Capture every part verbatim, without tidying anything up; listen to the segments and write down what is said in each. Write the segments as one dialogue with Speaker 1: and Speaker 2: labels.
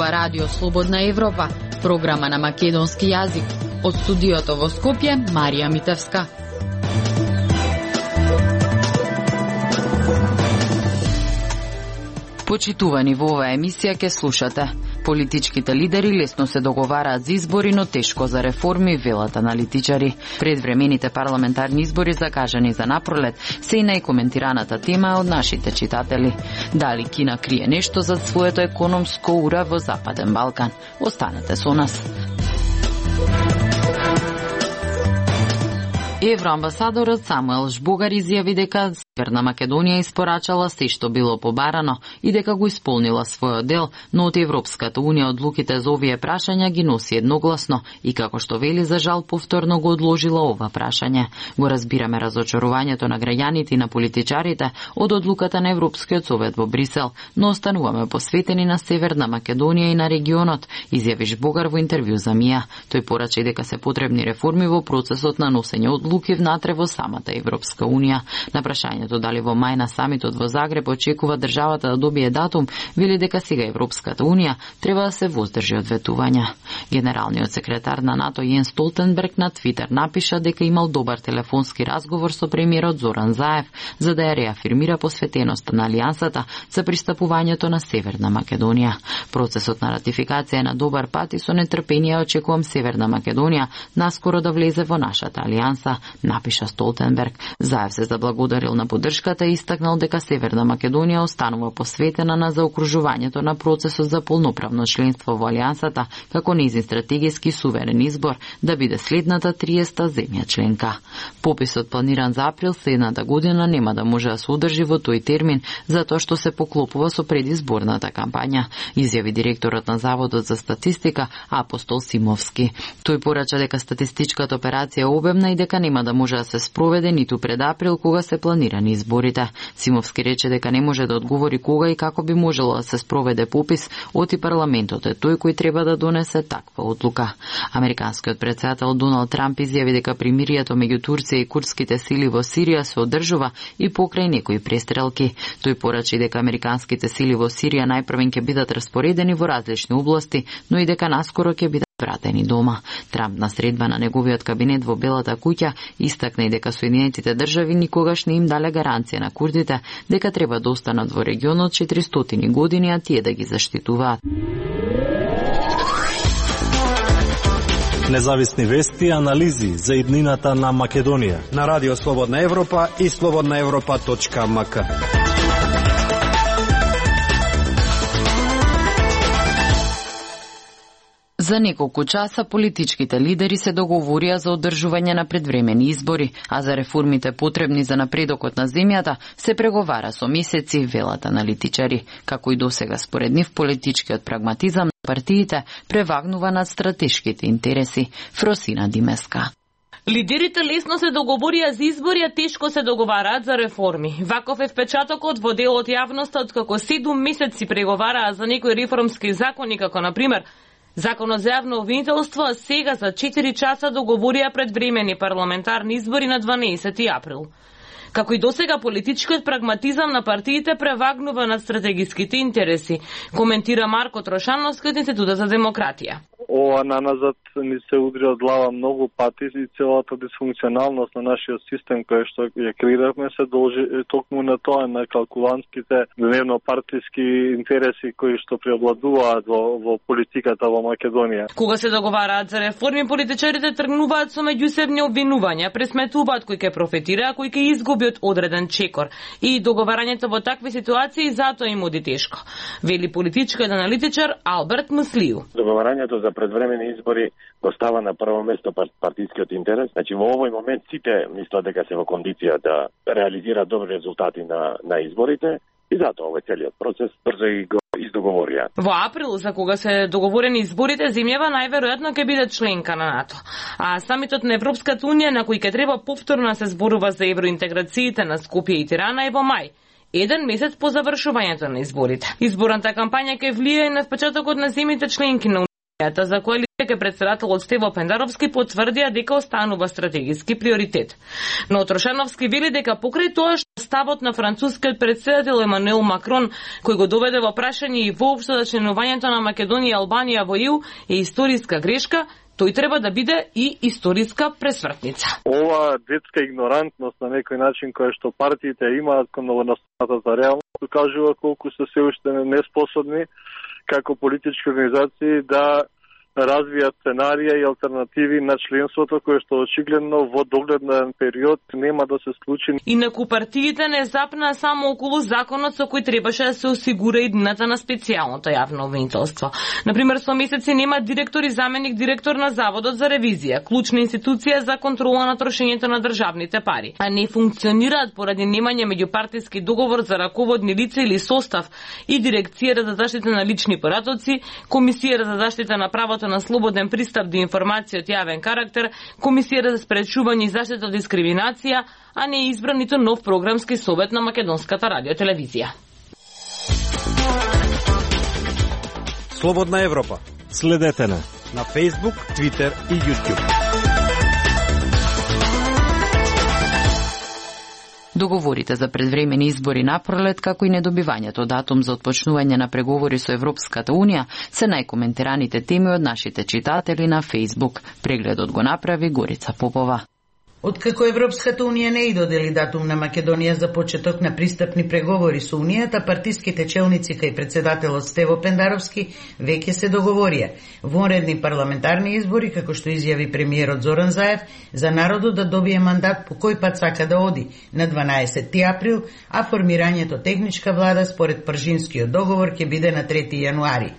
Speaker 1: ова радио Слободна Европа, програма на македонски јазик. Од студиото во Скопје, Марија Митевска. Почитувани, во оваа емисија ке слушате: политичките лидери лесно се договараат за избори, но тешко за реформи, велат аналитичари. Предвремените парламентарни избори закажани за напролет се и најкоментираната тема од нашите читатели. Дали Кина крие нешто за своето економско ура во Западен Балкан? Останете со нас. Евроамбасадорот Самуел Жбогар изјави дека Северна Македонија испорачала се што било побарано и дека го исполнила својот дел, но од Европската унија одлуките за овие прашања ги носи едногласно и како што вели, за жал повторно го одложила ова прашање. Го разбираме разочарувањето на граѓаните и на политичарите од одлуката на Европскиот совет во Брисел, но остануваме посветени на Северна Македонија и на регионот, изјави Жбогар во интервју за МИА. Тој порача дека се потребни реформи во процесот на носење одлуки внатре во самата Европска унија. На прашањето дали во мај на самитот во Загреб очекува државата да добие датум, вели дека сега Европската унија треба да се воздржи од ветувања. Генералниот секретар на НАТО Јенс Столтенберг на Твитер напиша дека имал добар телефонски разговор со премиерот Зоран Заев за да ја реафирмира посветеноста на алијансата за пристапувањето на Северна Македонија. Процесот на ратификација е на добар пат и со нетрпение очекувам Северна Македонија наскоро да влезе во нашата алијанса, напиша Столтенберг. Заев се заблагодарил на поддршката и истакнал дека Северна Македонија останува посветена на заокружувањето на процесот за полноправно членство во алијансата како нејзин стратегиски суверен избор да биде следната триесета земја членка. Пописот планиран за април следната година нема да може да се одржи во тој термин затоа што се поклопува со предизборната кампања, изјави директорот на Заводот за статистика Апостол Симовски. Тој порача дека статистичката операција е обемна и дека нема да може да се спроведе ниту пред април кога се планирани изборите. Симовски рече дека не може да одговори кога и како би можело да се спроведе попис, оти парламентот е тој кој треба да донесе таква одлука. Американскиот претседател Доналд Трамп изјави дека примирието меѓу Турција и курдските сили во Сирија се одржува и покрај некои престрелки. Тој порачи дека американските сили во Сирија најпрвен ќе бидат распоредени во различни области, но и дека наскоро ќе бидат вратени дома. Трамп на средба на неговиот кабинет во Белата куќа истакна и дека Соединетите држави никогаш не им дале гаранција на курдите дека треба да останат во регионот четиристотини години, а тие да ги заштитуваат.
Speaker 2: Независни вести и анализи за иднината на Македонија
Speaker 3: на Радио Слободна Европа и слободна европа точка ем ка.
Speaker 1: За неколку часа политичките лидери се договорија за одржување на предвремени избори, а за реформите потребни за напредокот на земјата се преговара со месеци, велат аналитичари. Како и досега според нив, политичкиот прагматизам на партиите превагнува над стратешките интереси. Фросина Димеска.
Speaker 4: Лидерите лесно се договорија за избори, а тешко се договараат за реформи. Ваков е впечатокот во дел од јавноста, откако седум месеци преговараа за некои реформски закони, како например Законот за јавно обвинителство, а сега за четири часа договорија предвремени парламентарни избори на дванаесети април. Како и досега, политичкиот прагматизам на партиите превагнува над стратегиските интереси, коментира Марко Трошановски од Институтот за демократија.
Speaker 5: Ова наназад ни се удри од глава многу пати и целата дисфункционалност на нашиот систем кој што ја креиравме се должи токму на тоа, на калкулантските дневно-партиски интереси кои што преобладуваат во, во политиката во Македонија.
Speaker 4: Кога се договараат за реформи, политичарите тргнуваат со меѓусебни обвинувања, пресметуваат кој ќе профитира, а кој ќе изгуби од одреден чекор. И договарањето во такви ситуации затоа им оди тешко, вели политичкиот аналитичар Алберт Муслију.
Speaker 6: Договарањето за предвремени избори го става на прво место партискиот интерес. Значи во овој момент сите мислат дека се во кондиција да реализираат добри резултати на на изборите и затоа овој целиот процес брзо и го издоговорија.
Speaker 4: Во април, за кога се договорени изборите, земјава најверојатно ќе биде членка на НАТО. А самитот на Европската унија, на кој ќе треба повторно да се зборува за евроинтеграциите на Скопје и Тирана, е во мај, еден месец по завршувањето на изборите. Изборната кампања ќе влијае на впечатокот на земјите членки на за коалиција ке претседателот Стево Пендаровски потврдија дека останува стратегиски приоритет. Но Трошановски вели дека покрај тоа што ставот на францускиот претседател Емануел Макрон, кој го доведе во прашање и воопшто за членувањето на Македонија и Албанија во Е У е историска грешка, тој треба да биде и историска пресвртница.
Speaker 5: Ова детска игнорантност на некој начин која што партиите имаат кон новонастаната за реалност покажува колку се се уште неспособни како политички организации да развијат сценарија и алтернативи на членството, кое што очигледно во догледен период нема да се случи.
Speaker 4: Инаку партиите не запнаа само околу законот со кој требаше да се осигура иднината на специјалното јавно обвинителство. Например, со месеци нема директор и заменик директор на Заводот за ревизија, клучна институција за контрола на трошењето на државните пари, а не функционираат поради немање меѓупартиски договор за раководни лица или состав и Дирекцијата за заштита на лични поратоци, Комисијата за заштита на правото на слободен пристап до информација од јавен карактер, Комисијата за спречување и заштита од дискриминација, а не е избран ниту нов програмски совет на Македонската радиотелевизија.
Speaker 3: Слободна Европа.
Speaker 2: Следете на
Speaker 3: на Facebook, Twitter и YouTube.
Speaker 1: Договорите за предвремени избори на пролет, како и недобивањето датум за отпочнување на преговори со Европската Унија, се најкоментираните теми од нашите читатели на Facebook. Прегледот го направи Горица Попова.
Speaker 7: Откако Европската Унија не и додели датум на Македонија за почеток на пристапни преговори со Унијата, партиските челници кај председателот Стево Пендаровски веќе се договорија. Вонредни парламентарни избори, како што изјави премиерот Зоран Заев, за народот да добие мандат по кој пат сака да оди на дванаесетти април, а формирањето техничка влада според Пржинскиот договор ќе биде на трети јануари.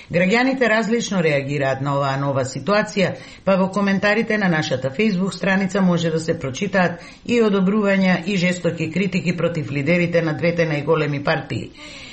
Speaker 7: Граѓаните различно реагираат на оваа нова ситуација, па во коментарите на нашата Facebook страница може да се прочитаат и одобрувања и жестоки критики против лидерите на двете најголеми партии.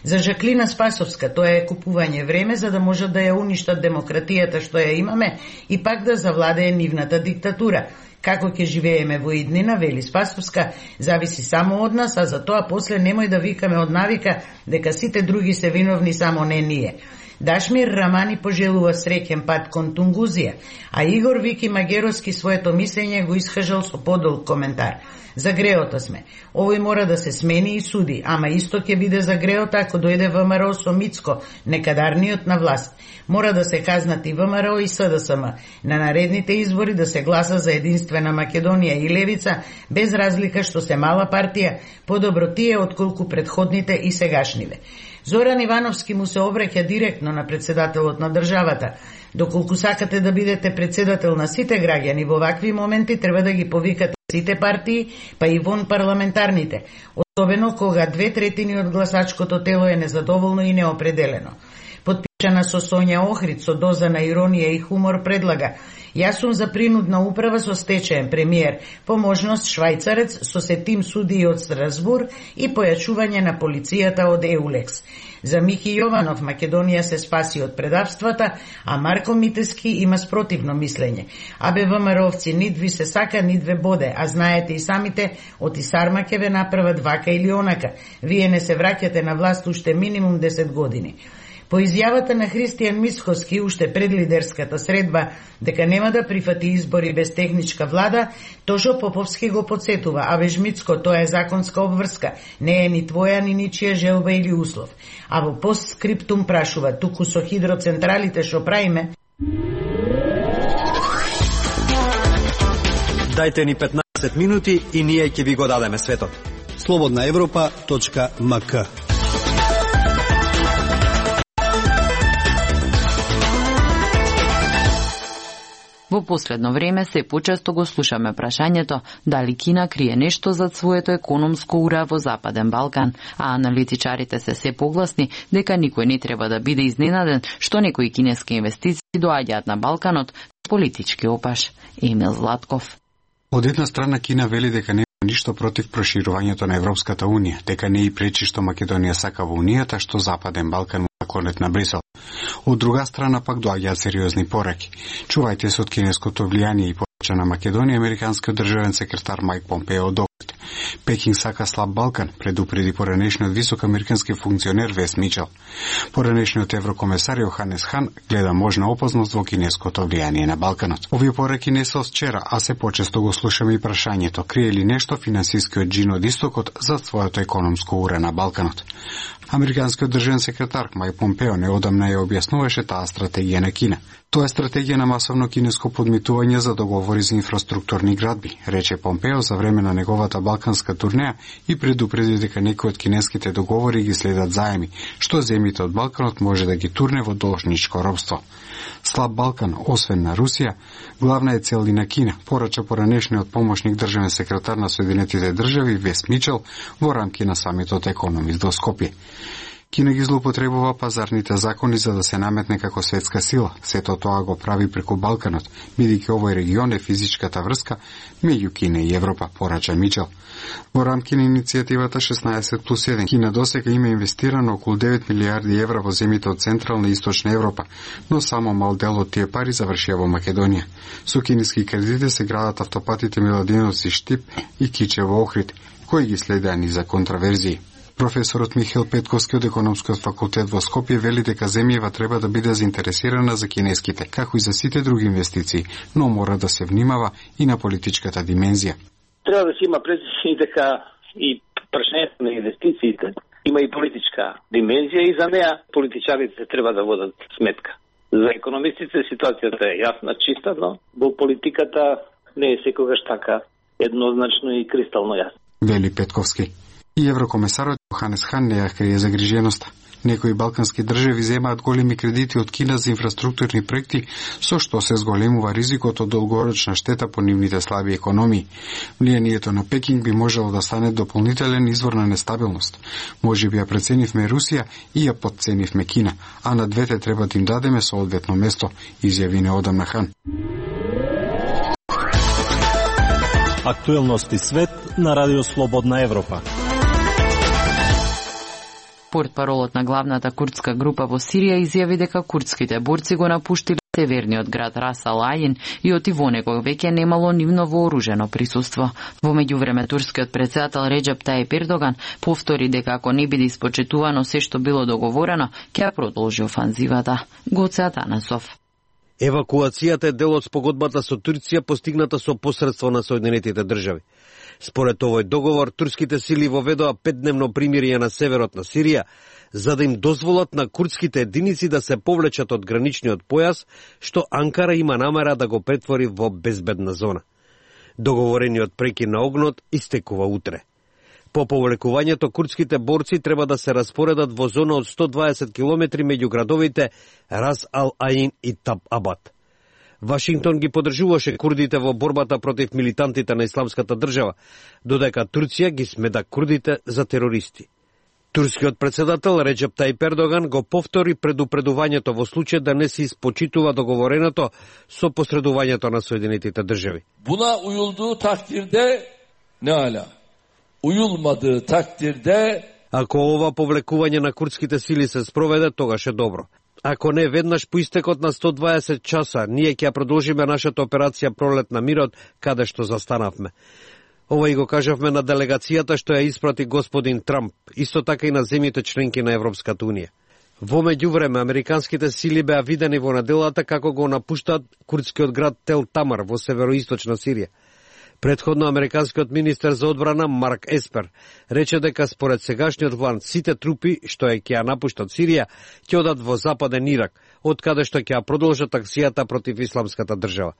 Speaker 7: За Жаклина Спасовска тоа е купување време за да можат да ја уништат демократијата што ја имаме и пак да завладее нивната диктатура. Како ќе живееме во иднина, вели Спасовска, зависи само од нас, а за тоа после немој да викаме од навика дека сите други се виновни, само не ние. Дашмир Рамани пожелува среќен пат кон Тунгузија, а Игор Вики Магеровски своето мислење го искажал со подолг коментар. За греота сме. Овој мора да се смени и суди, ама исто ќе биде за греота ако дојде ВМРО со Мицко, некадарниот на власт. Мора да се казнат и ВМРО и С Д С М. На наредните избори да се гласа за единствена Македонија и Левица, без разлика што се мала партија, подобро тие отколку предходните и сегашниве. Зоран Ивановски му се обраќа директно на председателот на државата. Доколку сакате да бидете председател на сите граѓани во вакви моменти, треба да ги повикате сите партии, па и вон парламентарните, особено кога две третини од гласачкото тело е незадоволно и неопределено. Подпишана со Сонја Охрид, со доза на иронија и хумор, предлага: јас сум за принудна управа со стечаен премиер, по можност швајцарец со сетим судии од Страсбур и појачување на полицијата од Еулекс. За Михи Јованов Македонија се спаси од предавствата, а Марко Митески има спротивно мислење. Абе ВМРО-овци нидви се сака, нидве боде, а знаете и самите, од Исарма ќе ве направат вака или онака. Вие не се враќате на власт уште минимум десет години. По изјавата на Христијан Мицкоски уште пред лидерската средба дека нема да прифати избори без техничка влада, Тошо Поповски го подсетува: а веж Мицко, тоа е законска обврска, не е ни твоја ни ничија желба или услов. А во постскриптум прашува: туку со хидроцентралите што правиме?
Speaker 3: Дајте ни петнаесет минути и ние ќе ви го дадеме светот.
Speaker 8: слободна европа точка м к.
Speaker 1: Во последно време се почесто го слушаме прашањето дали Кина крие нешто зад своето економско ура во Западен Балкан, а аналитичарите се се погласни дека никој не треба да биде изненаден што некои кинески инвестиции доаѓаат на Балканот политички опаш. Емил Златков.
Speaker 9: Од една страна Кина вели дека нема ништо против проширувањето на Европската Унија, дека не и пречи што Македонија сака во Унијата, што Западен Балкан наклонет на Брисел. Од друга страна пак доаѓаат сериозни пораки. Чувајте се од кинеското влијание и повеќе на Македонија, американскиот државен секретар Мајк Помпео докрит. Пекинг сака слаб Балкан, предупреди поранешниот висок американски функционер Вес Мичел. Поранешниот еврокомесар Јоханес Хан гледа можна опасност во кинеското влијание на Балканот. Овие пораки не се од вчера, а се почесто го слушаме и прашањето: крие ли нешто финансискиот джин од истокот за своето економско уре на Балканот? Американскиот државен секретар Мајк Помпео неодамна ја објаснуваше таа стратегија на Кина. Тоа е стратегија на масовно кинеско подмитување за договори за инфраструктурни градби, рече Помпео за време на неговата балканска турнеја и предупреди дека некои од кинеските договори ги следат заеми, што земјите од Балканот може да ги турне во должничко робство. Слаб Балкан, освен на Русија, главна е цел и на Кина, порача поранешниот помошник државен секретар на Соединетите држави Вес Мичел во рамки на самитот Економист во Скопје. Кина ги злоупотребува пазарните закони за да се наметне како светска сила. Сето тоа го прави преку Балканот, бидејќи овој регион е физичката врска меѓу Кина и Европа, порача Мичел. Во рамки на иницијативата шеснаесет плюс еден, Кина досега има инвестирано околу девет милиарди евра во земјите од Централна и Источна Европа, но само мал дел од тие пари завршија во Македонија. Со кинески кредити се градат автопатите Миладиновци-Штип и Кичево Охрид, кои ги следеа низа контраверзии. Професорот Михаил Петковски од Економскиот факултет во Скопје вели дека земјава треба да биде заинтересирана за кинеските, како и за сите други инвестиции, но мора да се внимава и на политичката димензија.
Speaker 10: Треба да се има предвид дека и прашањето на инвестициите има и политичка димензија и за неа политичарите треба да водат сметка. За економистите ситуацијата е јасна, чиста, но во политиката не е секогаш така еднозначно и кристално јасно.
Speaker 9: Вели Петковски. И еврокомесарот Јоханес Хан не ја крие загриженоста. Некои балкански држави земаат големи кредити од Кина за инфраструктурни проекти, со што се зголемува ризикот од долгорочна штета по нивните слаби економии. Влијанието на Пекинг би можело да стане дополнителен извор на нестабилност. Може би ја преценивме Русија и ја подценивме Кина, а на двете треба да им дадеме соодветно место, изјави неодамна Хан.
Speaker 2: Актуелности свет на Радио Слободна Европа.
Speaker 1: Портпаролот на главната курдска група во Сирија изјави дека курдските борци го напуштиле северниот град Рас ал Аин и оти во него веќе немало нивно вооружено присуство. Во меѓувреме турскиот председател Реджеп Тајип Ердоган повтори дека ако не биде испочитувано се што било договорено, ќе продолжи офанзивата. Гоце Атанасов.
Speaker 3: Евакуацијата е дел од спогодбата со Турција постигната со посредство на Соединетите држави. Според овој договор, турските сили воведоа петдневно примирие на северот на Сирија, за да им дозволат на курдските единици да се повлечат од граничниот појас, што Анкара има намера да го претвори во безбедна зона. Договорениот прекин на огнот истекува утре. По повлекувањето, курдските борци треба да се распоредат во зона од сто дваесет километри меѓу градовите Рас ал Аин и Таб Абад. Вашингтон ги поддржуваше курдите во борбата против милитантите на Исламската држава, додека Турција ги смеда курдите за терористи. Турскиот председател Реджеп Тајип Ердоган го повтори предупредувањето во случај да не се испочитува договореното со посредувањето на Соединетите држави.
Speaker 11: Буна уюлдуу тактирде не ала. Уюлмаdığı takdirde
Speaker 3: ако ова повлекување на курдските сили се спроведе, тогаш е добро. Ако не, веднаш по истекот на сто дваесет часа, ние ќе продолжиме нашата операција Пролет на мирот, каде што застанавме. Ова и го кажавме на делегацијата што ја испрати господин Трамп, исто така и на земјите членки на Европската унија. Во меѓувреме, американските сили беа видени во неделата како го напуштаат курдскиот град Тел Тамар во североисточна Сирија. Предходно американскиот министер за одбрана Марк Еспер рече дека според сегашниот план сите трупи што е ќе ја напуштат Сирија ќе одат во западен Ирак, од каде што ќе ја продолжат акцијата против Исламската држава.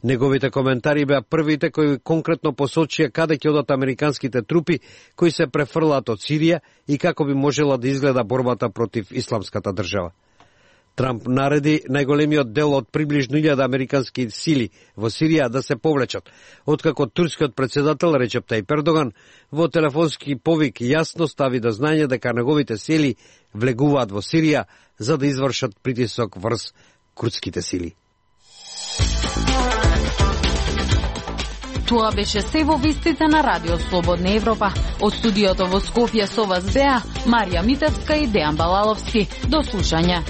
Speaker 3: Неговите коментари беа првите кои конкретно посочија каде ќе одат американските трупи кои се префрлаат од Сирија и како би можела да изгледа борбата против Исламската држава. Трамп нареди најголемиот дел од приближно илјада американски сили во Сирија да се повлечат, откако турскиот председател Реджеп Тајип Ердоган во телефонски повик јасно стави до знање дека неговите сили влегуваат во Сирија за да извршат притисок врз курдските сили.
Speaker 1: Тоа беше се во вестите на Радио Слободна Европа. Од студиото во Скопје со вас беа Марија Митевска и Дејан Балаловски. До слушање.